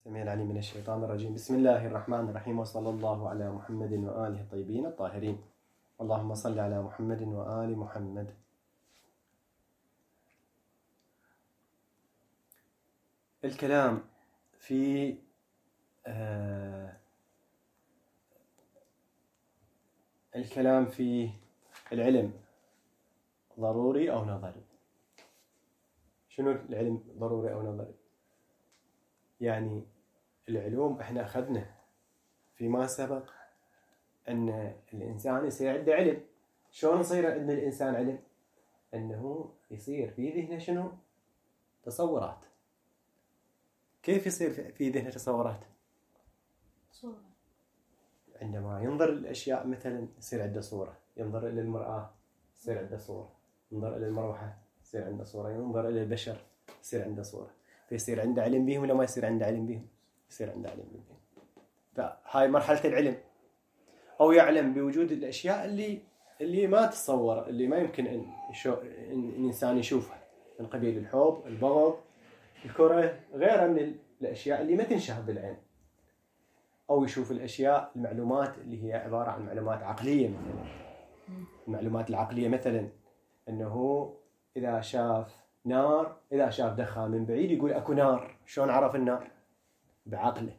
السميع العليم من الشيطان الرجيم. بسم الله الرحمن الرحيم، وصلى الله على محمد وآله الطيبين الطاهرين. اللهم صل على محمد وآل محمد. الكلام في العلم ضروري أو نظري؟ شنو العلم ضروري أو نظري؟ يعني العلوم احنا أخذنا فيما سبق أن الإنسان يصير عنده علم. شلون يصير عند الإنسان علم؟ أنه يصير في ذهنه شنو؟ تصورات. كيف يصير في ذهنه تصورات؟ صورة. عندما ينظر الأشياء مثلا يصير عنده صورة، ينظر إلى المرآة يصير عنده صورة، ينظر إلى المروحة يصير عنده صورة، ينظر إلى البشر يصير عنده صورة. فيصير عنده علم بهم ولا ما يصير عنده علم بهم؟ يصير عنده علم بهم. فهاي مرحلة العلم. أو يعلم بوجود الأشياء اللي ما تتصور، اللي ما يمكن إن الإنسان يشوفها، من قبيل الحب، البغض، الكره، غيرها من الأشياء اللي ما تنشاهد بالعين. أو يشوف الأشياء، المعلومات اللي هي عبارة عن معلومات عقلية مثلا. المعلومات العقلية مثلا أنه إذا شاف نار، إذا شاف دخان من بعيد يقول أكو نار. شلون عرف النار؟ بعقله.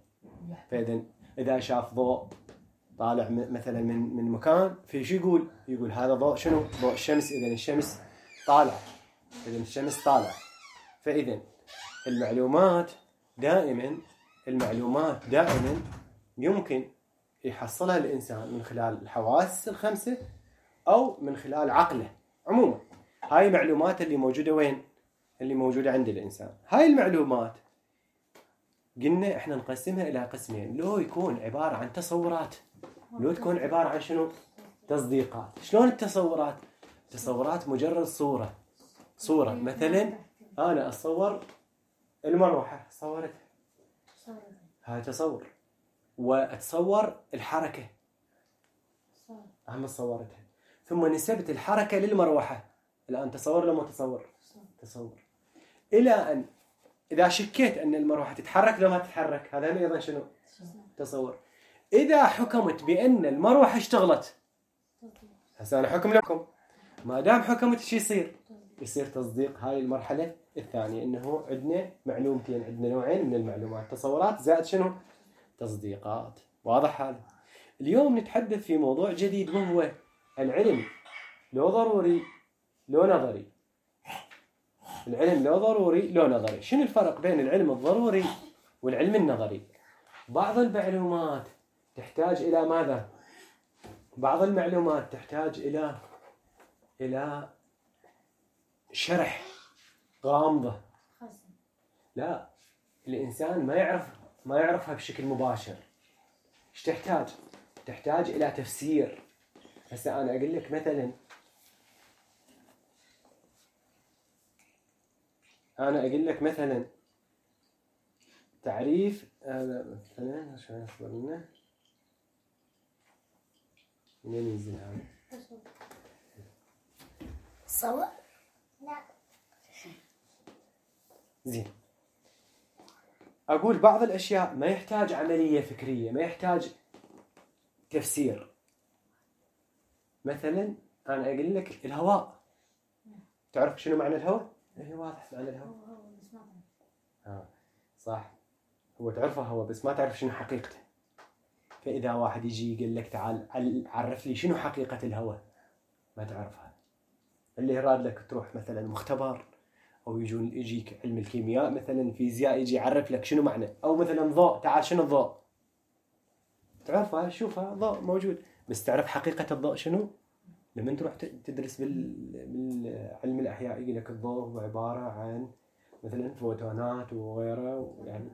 فإذا إذا شاف ضوء طالع مثلا من مكان، في شو يقول هذا ضوء شنو؟ ضوء الشمس. إذا الشمس طالع، فإذا المعلومات دائما يمكن يحصلها الإنسان من خلال الحواس الخمسة أو من خلال عقله عموما. هاي المعلومات اللي موجودة وين؟ اللي موجودة عند الإنسان. هاي المعلومات قلنا إحنا نقسمها إلى قسمين، لو يكون عبارة عن تصورات، لو تكون عبارة عن شنو؟ تصديقات. شلون التصورات؟ تصورات مجرد صورة. مثلا أنا أتصور المروحة، صورتها، هاي تصور. وأتصور الحركة، أهم صورتها، ثم نسبت الحركة للمروحة. الآن تصور لما تصور. إلى أن إذا شكيت أن المروحة تتحرك لو ما تتحرك، هذا أيضا شنو؟ تصور. إذا حكمت بأن المروحة اشتغلت، هسه أنا حكم لكم، ما دام حكمت شو يصير تصديق. هاي المرحلة الثانية، إنه عندنا معلومتين، عندنا نوعين من المعلومات، تصورات زائد شنو؟ تصديقات. واضح هذا؟ اليوم نتحدث في موضوع جديد، وهو العلم لو ضروري لو نظري. العلم لو ضروري لو نظري. شنو الفرق بين العلم الضروري والعلم النظري؟ بعض المعلومات تحتاج إلى ماذا؟ بعض المعلومات تحتاج إلى شرح غامضة. لا، الإنسان ما يعرفها بشكل مباشر. إيش تحتاج؟ تحتاج إلى تفسير. هسه أنا أقول لك مثلا تعريف مثلا شو يصير لنا؟ منين ينزل هذا؟ صور؟ لا. زين. أقول بعض الأشياء ما يحتاج عملية فكرية، ما يحتاج تفسير. مثلا أنا أقول لك الهواء. تعرف شنو معنى الهواء؟ هي واضح معنى الهواء. صح، هو تعرفه هو، بس ما تعرف شنو حقيقته. فإذا واحد يجي يقول لك تعال عرف لي شنو حقيقة الهواء، ما تعرفها. اللي يراد لك تروح مثلا مختبر، أو يجيك علم الكيمياء مثلا، فيزياء، يجي يعرف لك شنو معنى. أو مثلا ضوء، تعال شنو الضوء؟ تعرفها، شوفها ضوء موجود، بس تعرف حقيقة الضوء شنو؟ لما تروح تدرس بالعلم الأحياء يقول لك الضوء هو عبارة عن مثلا فوتونات وغيره، يعني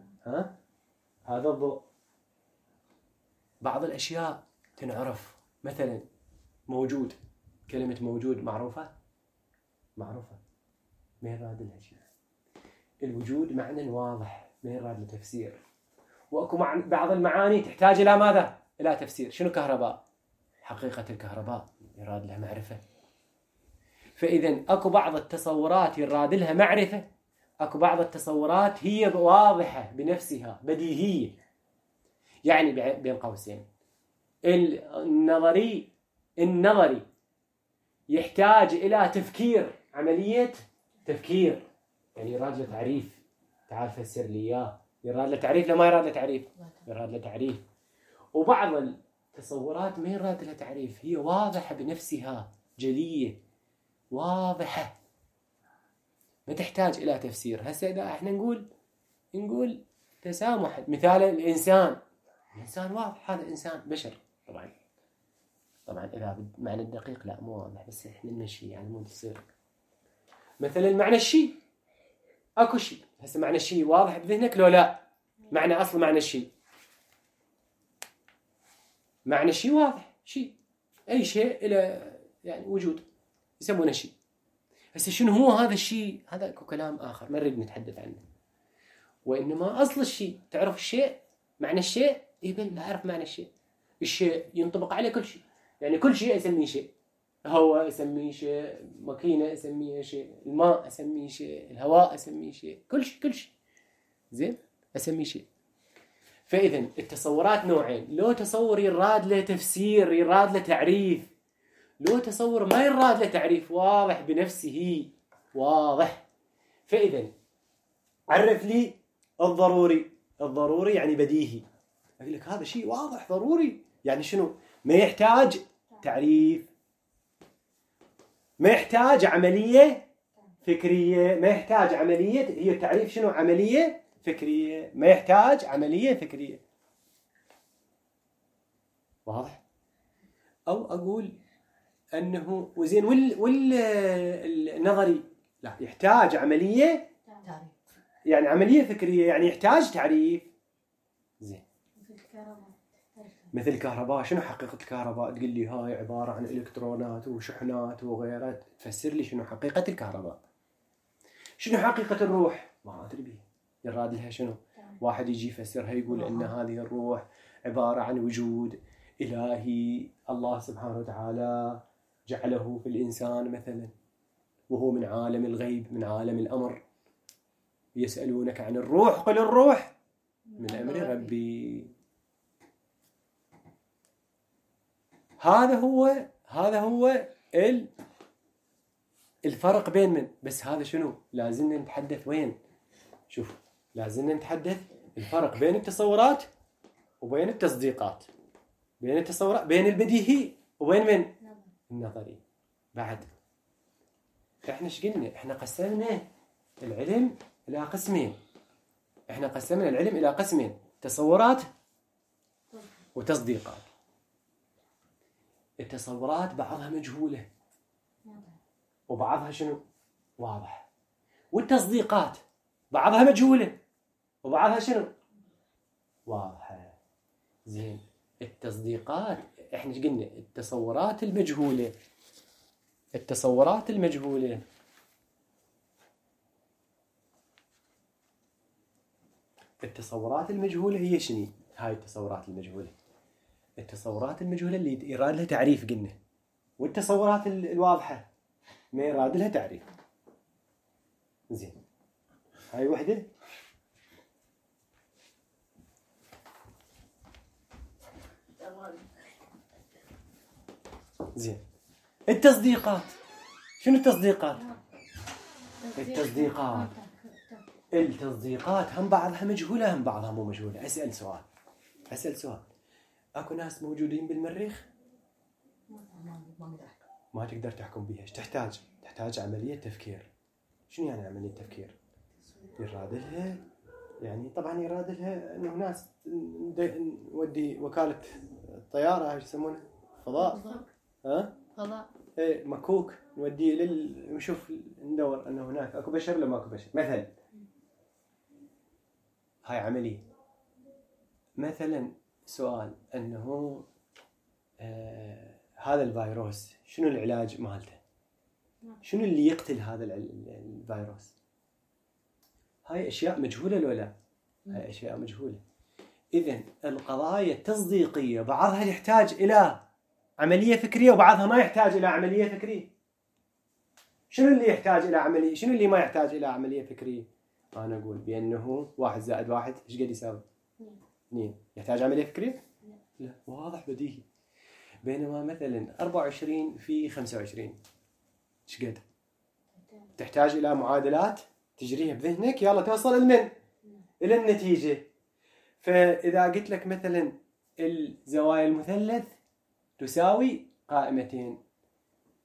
هذا الضوء. بعض الأشياء تنعرف، مثلا موجود، كلمة موجود معروفة، ما يراد لها شيء. الوجود معنى واضح، ما يراد له تفسير. وأكو بعض المعاني تحتاج إلى ماذا؟ إلى تفسير. شنو كهرباء؟ حقيقة الكهرباء يراد لها معرفة. فإذا أكو بعض التصورات يراد لها معرفة، اكو بعض التصورات هي واضحة بنفسها بديهية، يعني بين قوسين النظري يحتاج إلى تفكير، عملية تفكير، يعني يراد له تعريف، تعال فسر لي إياه، يراد له تعريف لا ما يراد له تعريف؟ يراد له تعريف. وبعض التصورات ما يراد لها تعريف، هي واضحة بنفسها، جلية واضحة ما تحتاج إلى تفسير. هسه إذا احنا نقول تسامح، مثال الإنسان واضح، هذا إنسان بشر، طبعا إذا معنى الدقيق لا مو واضح، بس احنا نمشي يعني مو تصير. مثلا معنى الشيء، اكو شيء، هسه معنى الشيء واضح بذهنك لو لا؟ معنى أصل معنى الشيء، معنى الشيء واضح، شيء أي شيء إلى يعني وجود يسمونه شيء. هسه شنو هو هذا الشيء؟ هذا اكو كلام آخر ما نريد نتحدث عنه، وإنما أصل الشيء. تعرف الشيء، معنى الشيء، يبين أعرف معنى الشيء. الشيء ينطبق عليه كل شيء، يعني كل شيء أسميه شيء، هواء أسميه شيء، ماكينة أسميه شيء، الماء أسميه شيء، الهواء أسميه شيء، كل شيء زين أسميه شيء. فإذا التصورات نوعين، لو تصور يراد له تفسير، يراد له تعريف، لو تصور ما يراد له تعريف، واضح بنفسه واضح. فإذا عرف لي الضروري يعني بديهي، أقول لك هذا شيء واضح ضروري، يعني شنو؟ ما يحتاج تعريف، ما يحتاج عملية فكرية، ما يحتاج عملية، هي التعريف شنو؟ عملية فكرية، ما يحتاج عملية فكرية، واضح؟ أو أقول أنه وزين والنظري لا يحتاج عملية، يعني عملية فكرية، يعني يحتاج تعريف. زين مثل الكهرباء، شنو حقيقة الكهرباء؟ تقول لي هاي عبارة عن إلكترونات وشحنات وغيرها، تفسر لي شنو حقيقة الكهرباء. شنو حقيقة الروح؟ ما أدري بيه، يراد لها شنو؟ واحد يجي يفسرها يقول إن هذه الروح عبارة عن وجود إلهي، الله سبحانه وتعالى جعله في الإنسان مثلا، وهو من عالم الغيب، من عالم الأمر. يسألونك عن الروح قل الروح من أمر ربي. هذا هو الفرق بين من، بس هذا شنو لازم نتحدث وين؟ شوف، لازم نتحدث الفرق بين التصورات وبين التصديقات، بين التصورات، بين البديهي وبين من النظري. بعد احنا ايش قلنا؟ احنا قسمنا العلم الى قسمين، تصورات وتصديقات. التصورات بعضها مجهولة وبعضها شنو؟ واضح. والتصديقات بعضها مجهولة وبعضها شنو؟ واضحة. زين، التصديقات احنا ايش قلنا؟ التصورات المجهولة هي شنو؟ هاي التصورات المجهولة اللي يراد لها تعريف قلنا، والتصورات الواضحة ما يراد لها تعريف. زين، هاي وحدة. زين، التصديقات. شنو التصديقات؟ التصديقات هم بعضها مجهولة هم بعضها مو مجهولة. أسأل سؤال، أكو ناس موجودين بالمريخ ما تقدر تحكم بيها. ايش تحتاج عملية تفكير. شنو يعني عملية تفكير؟ يراد لها يعني طبعا يراد لها انه ناس نودي وكالة الطيارة ايش يسمونه؟ فضاء. فضاء. ايه مكوك نوديه نشوف ندور انه هناك اكو بشر ولا ماكو بشر مثلا. هاي عملية. مثلا سؤال انه هذا الفيروس شنو العلاج مالته؟ شنو اللي يقتل هذا الفيروس؟ هاي اشياء مجهولة لو لا؟ هاي اشياء مجهولة. اذن القضايا التصديقية بعضها يحتاج الى عملية فكرية وبعضها ما يحتاج الى عملية فكرية. شنو اللي يحتاج الى عملية؟ شنو اللي ما يحتاج الى عملية فكرية؟ أنا أقول بأنه 1 زائد 1 إيش قد يساوي؟ 2. يحتاج عملية فكرية؟ لا، واضح بديهي. بينما مثلا 24 في 25 إيش قد؟ تحتاج إلى معادلات تجريها بذهنك يلا توصل لمن؟ إلى النتيجة. فإذا قلت لك مثلا الزوايا المثلث تساوي قائمتين،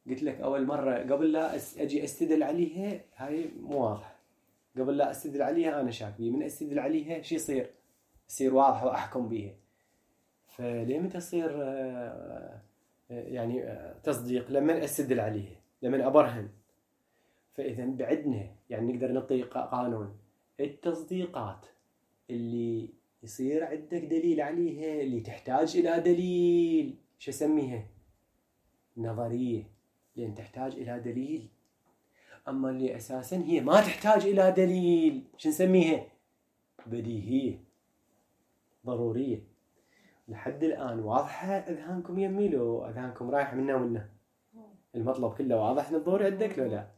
قلت لك أول مرة قبل لا أجي أستدل عليها هاي مو واضحة، قبل لا أستدل عليها أنا شاك بيه، من أستدل عليها شي يصير واضح وأحكم بيها. فليه متى تصير يعني تصديق؟ لما أستدل عليها، لما أبرهن. فإذا بعدنا يعني نقدر نعطي قانون التصديقات اللي يصير عندك دليل عليها، اللي تحتاج إلى دليل، شو اسميها؟ نظرية، لأن تحتاج إلى دليل. أما اللي أساساً هي ما تحتاج إلى دليل شو نسميها؟ بديهية، ضرورية. لحد الآن واضحة أذهانكم يمي لو أذهانكم رايح منا ومنا؟ المطلب كله واضح نظور عندك لو لا؟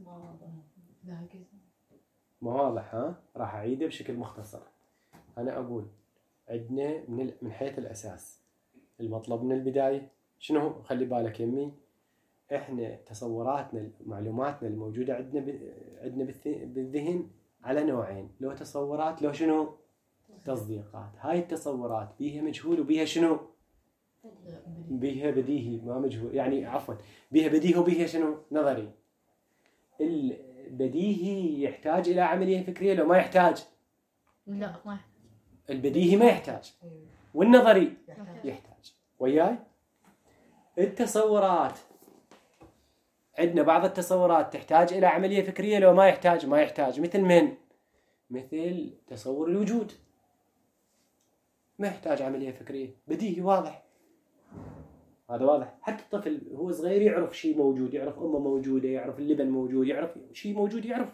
ما واضح ها؟ راح أعيده بشكل مختصر. أنا أقول عندنا من حيث الأساس المطلب من البداية شنو؟ خلي بالك يمي، إحنا تصوراتنا معلوماتنا الموجودة عندنا بالذهن على نوعين، لو تصورات لو شنو؟ تصديقات. هاي التصورات بيها مجهول وبيها شنو؟ بيها بديهي ما مجهول، يعني عفوا بيها بديهي وبيها شنو؟ نظري. البديهي يحتاج إلى عملية فكرية لو ما يحتاج؟ لا ما يحتاج. البديهي ما يحتاج والنظري يحتاج. وياي؟ التصورات عندنا بعض التصورات تحتاج إلى عملية فكرية لو ما يحتاج؟ ما يحتاج. مثل من؟ مثل تصور الوجود ما يحتاج عملية فكرية، بديهي واضح. هذا واضح، حتى الطفل هو صغير يعرف شيء موجود، يعرف أمه موجودة، يعرف اللبن موجود، يعرف شيء موجود، يعرف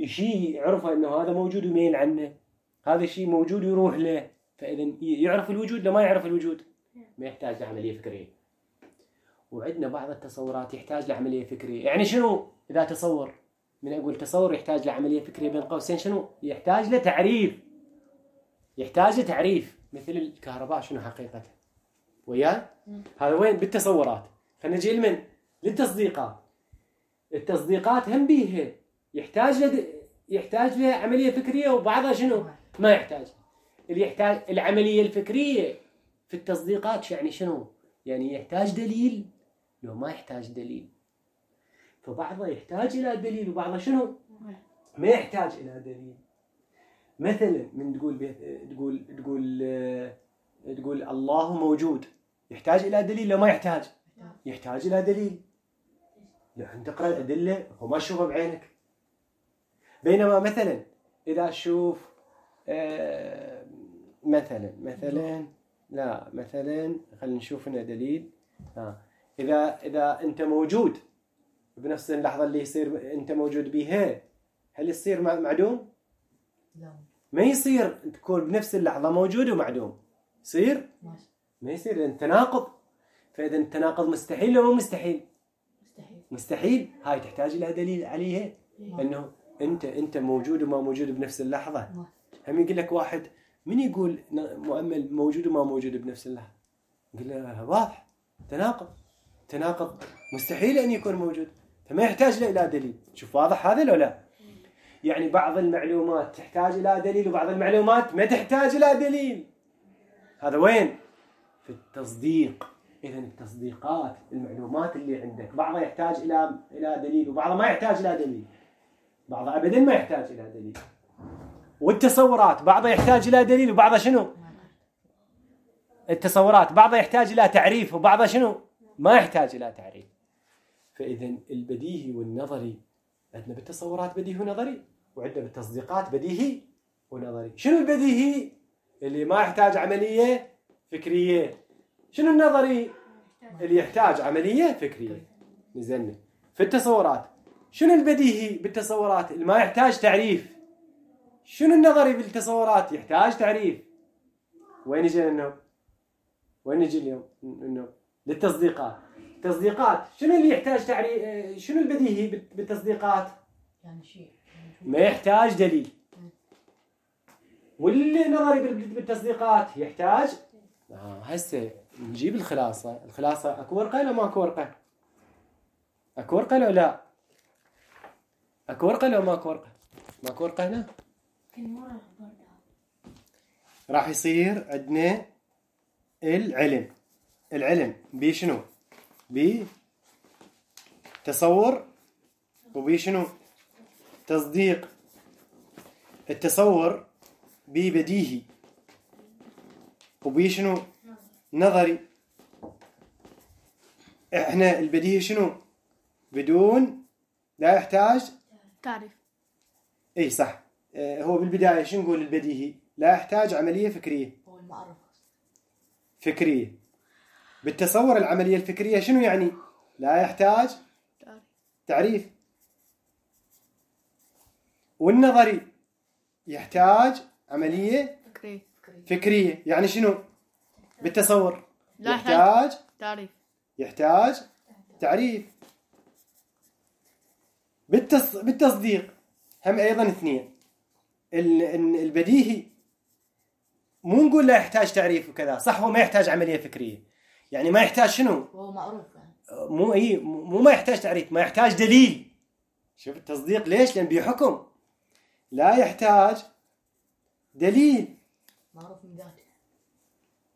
شيء يعرفه أنه هذا موجود ويميل عنه، هذا شيء موجود ويروح له. فإذا يعرف الوجود لو ما يعرف الوجود ما يحتاج لعملية فكرية. وعندنا بعض التصورات يحتاج لعملية فكرية. يعني شنو إذا تصور؟ من أقول تصور يحتاج لعملية فكرية بين قوسين شنو؟ يحتاج لتعريف، يحتاج لتعريف. مثل الكهرباء شنو حقيقتها؟ وياه؟ هذا وين؟ بالتصورات. خلينا نجي لمن؟ للتصديقات. التصديقات هم بيها يحتاج لها عملية فكرية وبعضها شنو؟ ما يحتاج. اللي يحتاج العملية الفكرية في التصديقات يعني شنو؟ يعني يحتاج دليل لو ما يحتاج دليل. فبعضها يحتاج إلى دليل وبعضها شنو؟ ما يحتاج إلى دليل. مثلا من تقول الله موجود، يحتاج إلى دليل لو ما يحتاج؟ يحتاج إلى دليل. يعني تقرأ الأدلة هو ما تشوفها بعينك. بينما مثلا إذا تشوف مثلا خلينا نشوف هنا دليل. إذا أنت موجود بنفس اللحظة اللي يصير أنت موجود بيها، هل يصير معدوم؟ لا ما يصير تكون بنفس اللحظة موجود ومعدوم. يصير؟ ما يصير، لأن تناقض. فإذا التناقض مستحيل لو مستحيل؟ مستحيل. هاي تحتاج إلى دليل عليها أنه أنت موجود وما موجود بنفس اللحظة. هم يقول لك واحد من يقول مؤمل موجود وما موجود بنفس اللحظة؟ يقول له واضح تناقض مستحيل أن يكون موجود، فما يحتاج له إلى دليل. شوف واضح هذا لو لا؟ يعني بعض المعلومات تحتاج إلى دليل وبعض المعلومات ما تحتاج إلى دليل. هذا وين؟ في التصديق. إذا التصديقات المعلومات اللي عندك بعضها يحتاج إلى دليل وبعضها ما يحتاج إلى دليل، بعضها أبدا ما يحتاج إلى دليل. والتصورات بعضها يحتاج إلى دليل وبعضها شنو؟ التصورات بعضها يحتاج إلى تعريف وبعضها شنو؟ ما يحتاج إلى تعريف. فإذا البديهي والنظري عندنا بالتصورات بديهي ونظري، وعندنا بالتصديقات بديهي ونظري. شنو البديهي؟ اللي ما يحتاج عملية فكرية. شنو النظري؟ اللي يحتاج عملية فكرية. نزلنا في التصورات. شنو البديهي بالتصورات؟ اللي ما يحتاج تعريف. شنو النظري بالتصورات؟ يحتاج تعريف. وين نجي اليوم إنه للتصديقات. تصديقات شنو اللي يحتاج تعريف؟ شنو البديهي بالتصديقات؟ يعني شيء ما يحتاج دليل. والنظري بالتصديقات يحتاج هسه نجيب الخلاصة. اكو ورقة ولا ماكو ورقة؟ اكو ورقة ولا لا؟ اكو ورقة ولا ماكو ورقة؟ ماكو ورقة هنا؟ راح يصير عندنا العلم بشنو؟ بتصور وبشنو؟ تصديق. التصور ببديهي وبشنو؟ نظري. احنا البديهي شنو؟ بدون لا يحتاج تعريف. اي صح. هو بالبداية شنو نقول البديهي؟ لا يحتاج عملية فكرية. هو المعرف فكرية. بالتصور العملية الفكرية شنو يعني؟ لا يحتاج تعريف. والنظري يحتاج عملية فكرية. يعني شنو؟ بالتصور لا يحتاج تعريف. يحتاج تعريف. بالتصديق هم أيضا اثنين. البديهي مو نقول لا يحتاج تعريف وكذا، صح، هو ما يحتاج عملية فكرية، يعني ما يحتاج شنو؟ هو معروف يعني. مو ما يحتاج تعريف، ما يحتاج دليل. شوف التصديق ليش؟ لأن بحكم لا يحتاج دليل. معروف من ذاته.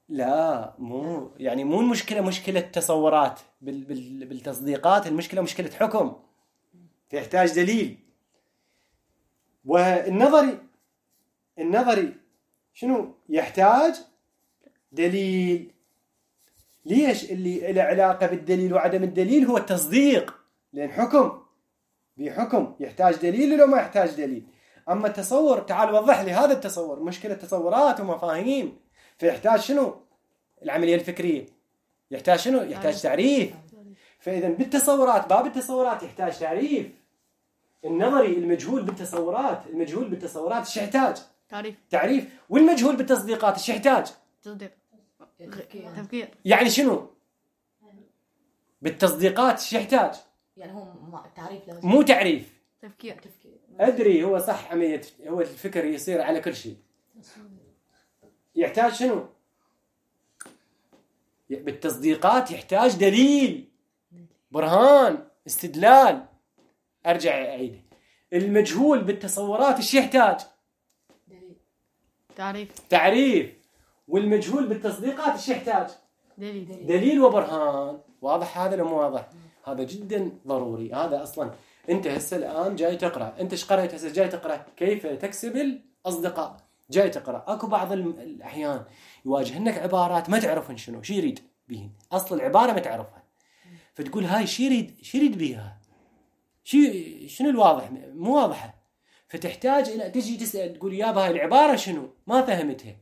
لا مو يعني مو المشكلة مشكلة تصورات بالتصديقات، المشكلة مشكلة حكم فيحتاج دليل. والنظري شنو؟ يحتاج دليل. ليش؟ اللي له علاقة بالدليل وعدم الدليل هو التصديق، لأن بحكم يحتاج دليل لو ما يحتاج دليل. أما التصور تعال وضح لي هذا التصور، مشكلة تصورات ومفاهيم، فيحتاج شنو؟ العملية الفكرية يحتاج شنو؟ يحتاج تعريف. فإذا بالتصورات باب التصورات يحتاج تعريف. النظري المجهول بالتصورات ايش يحتاج؟ تعريف. والمجهول بالتصديقات ايش يحتاج؟ تصديق. تفكير. يعني شنو؟ بالتصديقات ايش يحتاج؟ يعني هو تعريف لازم. مو تعريف. تفكير. أدري هو صح عملية، هو الفكر يصير على كل شيء. يحتاج شنو؟ بالتصديقات يحتاج دليل، برهان، استدلال. أرجع أعيد. المجهول بالتصورات ايش يحتاج؟ تعريف. والمجهول بالتصديقات ايش يحتاج؟ دليل وبرهان. واضح هذا ولا مو واضح؟ هذا جدا ضروري. هذا أصلا أنت هسه الآن جاي تقرأ، أنت إيش قرأت هسه؟ جاي تقرأ كيف تكسب الأصدقاء. جاي تقرأ، أكو بعض الأحيان يواجهنك عبارات ما تعرفن شنو شي يريد بيهن، أصل العبارة ما تعرفها، فتقول هاي شي يريد بيها، شنو الواضح مو واضحة، فتحتاج إلى تجي تسأل تقول يابا هاي العبارة شنو ما فهمتها.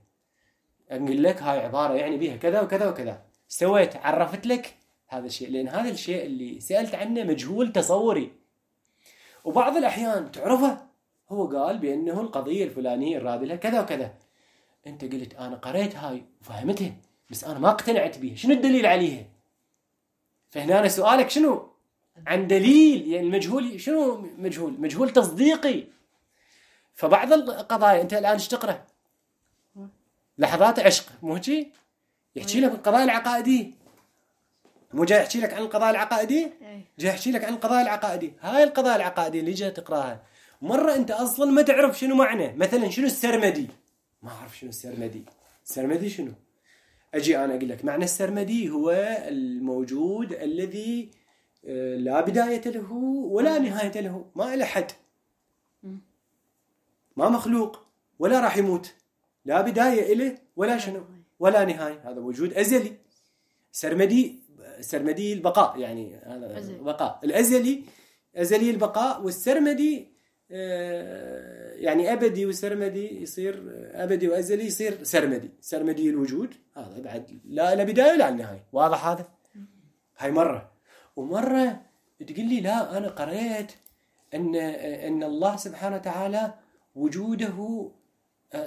أقول لك هاي عبارة يعني بيها كذا وكذا وكذا. سويت عرفت لك هذا الشيء، لأن هذا الشيء اللي سألت عنه مجهول تصوري. وبعض الأحيان تعرفه، هو قال بأنه القضية الفلانية الراد لها كذا وكذا، أنت قلت أنا قريت هاي وفهمتها بس أنا ما اقتنعت بيها، شنو الدليل عليها؟ فهنا أنا سؤالك شنو؟ عن دليل. يعني المجهول شنو؟ مجهول تصديقي. فبعض القضايا أنت الآن ايش تقرأ؟ لحظات عشق، مو هيك؟ يحكي لك القضايا العقائدية، مو جاي يحكي لك عن القضايا العقائدية، جاي يحكي لك عن القضايا العقائدية. هاي القضايا العقائدية اللي جاي تقراها مرة أنت أصلا ما تعرف شنو معنى. مثلا شنو السرمدي؟ ما أعرف شنو السرمدي شنو؟ أجي أنا أقول لك معنى السرمدي هو الموجود الذي لا بداية له ولا نهاية له، ما له حد، ما مخلوق ولا راح يموت، لا بداية له ولا شنو ولا نهاية، هذا وجود أزلي. سرمدي البقاء، يعني هذا بقاء الأزلي، أزلي البقاء. والسرمدي يعني أبدي، وسرمدي يصير أبدي وأزلي يصير سرمدي الوجود، هذا بعد لا بداية ولا نهاية. واضح هذا؟ هاي مرة. ومرة تقول لي لا أنا قرأت أن الله سبحانه وتعالى وجوده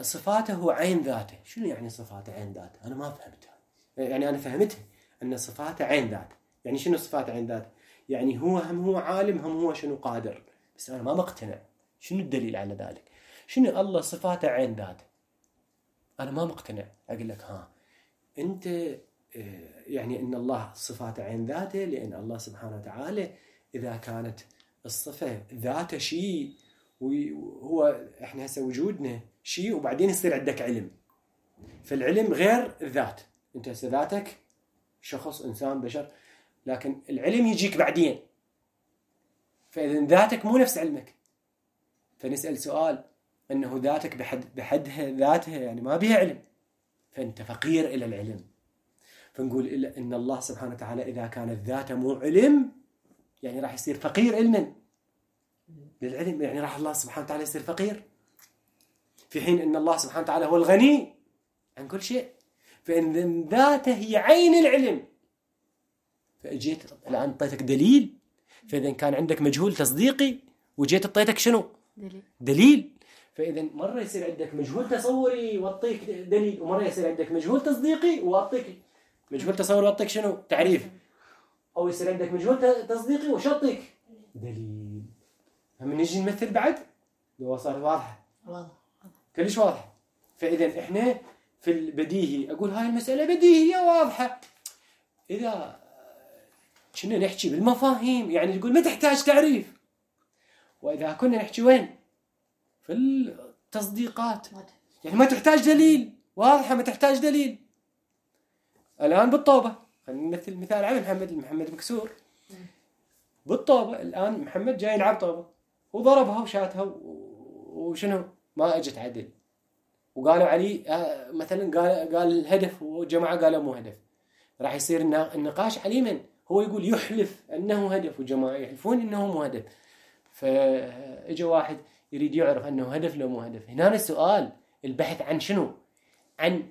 صفاته عين ذاته. شنو يعني صفاته عين ذاته؟ أنا ما فهمتها. يعني أنا فهمتها أن صفاته عين ذاته. يعني شنو صفاته عين ذاته؟ يعني هو عالم، هو شنو قادر، بس أنا ما مقتنع. شنو الدليل على ذلك؟ شنو الله صفاته عين ذاته؟ أنا ما مقتنع. أقول لك أنت يعني أن الله صفات عين ذاته، لأن الله سبحانه وتعالى إذا كانت الصفة ذاته شيء، وهو إحنا هسه وجودنا شيء، وبعدين يصير عندك علم، فالعلم غير الذات. أنت هسه ذاتك شخص، إنسان، بشر، لكن العلم يجيك بعدين. فإذا ذاتك مو نفس علمك، فنسأل سؤال أنه ذاتك بحدها ذاتها يعني ما بها علم، فأنت فقير إلى العلم. فنقول إن الله سبحانه وتعالى إذا كانت ذاته مو علم يعني راح يصير فقير علما للعلم، يعني راح الله سبحانه وتعالى يصير فقير، في حين أن الله سبحانه وتعالى هو الغني عن كل شيء. فإن ذاته هي عين العلم. فأجيت الآن أعطيتك دليل، فإذا كان عندك مجهول تصديقي وجيت أعطيتك شنو؟ دليل. فإذا مرة يصير عندك مجهول تصوري وأعطيك دليل، ومرة يصير عندك مجهول تصديقي وأعطيك مجهول تصوري وأعطيك شنو؟ تعريف. أو يصير عندك مجهول تصديقي وشطيك دليل. هم نجي نمثل بعد لو صار واضحة كلش واضحة. فإذا إحنا في البديهي أقول هاي المسألة بديهية واضحة. إذا كنا نحكي بالمفاهيم يعني تقول ما تحتاج تعريف. وإذا كنا نحكي وين؟ في التصديقات يعني ما تحتاج دليل، واضحة ما تحتاج دليل. الآن بالطوبة خلينا نمثل مثال على محمد مكسور بالطوبة. الآن محمد جاي يلعب طوبة وضربها وشاتها وشنو ما أجت عدل، وقالوا علي مثلا قال هدف وجماعة قالوا مو هدف. راح يصير النقاش عليه من هو يقول يحلف أنه هدف وجماعة يحلفون أنه مو هدف. فإجا واحد يريد يعرف أنه هدف لو مو هدف. هنا السؤال البحث عن شنو؟ عن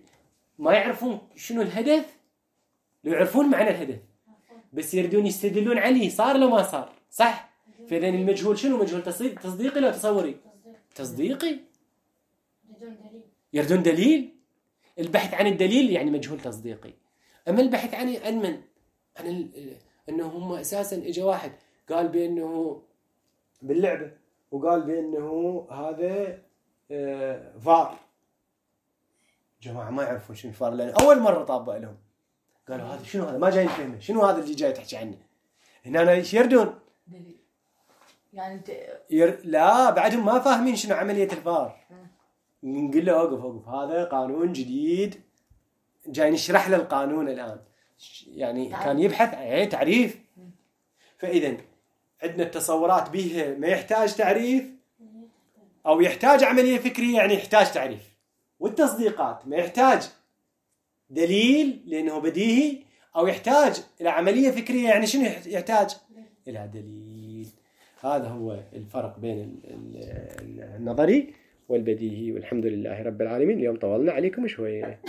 ما يعرفون شنو الهدف، لو يعرفون معنى الهدف بس يردون يستدلون عليه صار لو ما صار، صح؟ فإذا المجهول شنو؟ مجهول تصديقي لو تصوري؟ تصديقي. يردون دليل. البحث عن الدليل يعني مجهول تصديقي. أما البحث عن من؟ عن أنه هم أساسا إجا واحد قال بأنه باللعبة وقال بأنه هذا فار. جماعة ما يعرفون شنو الفار لأن أول مرة طابق لهم. قالوا هذا شنو؟ هذا ما جاي نفهمه، شنو هذا اللي جاي تحكي عنه؟ هنا ايش يردون؟ يعني انت لا بعدهم ما فاهمين شنو عملية الفار. نقول له اوقف هذا قانون جديد جاي نشرح له القانون الآن. يعني كان يبحث عن تعريف. فإذا عندنا التصورات بها ما يحتاج تعريف أو يحتاج عملية فكرية يعني يحتاج تعريف، والتصديقات ما يحتاج دليل لأنه بديهي، أو يحتاج إلى عملية فكرية يعني شنو يحتاج إلى دليل. هذا هو الفرق بين النظري والبديهي. والحمد لله رب العالمين. اليوم طولنا عليكم شوية.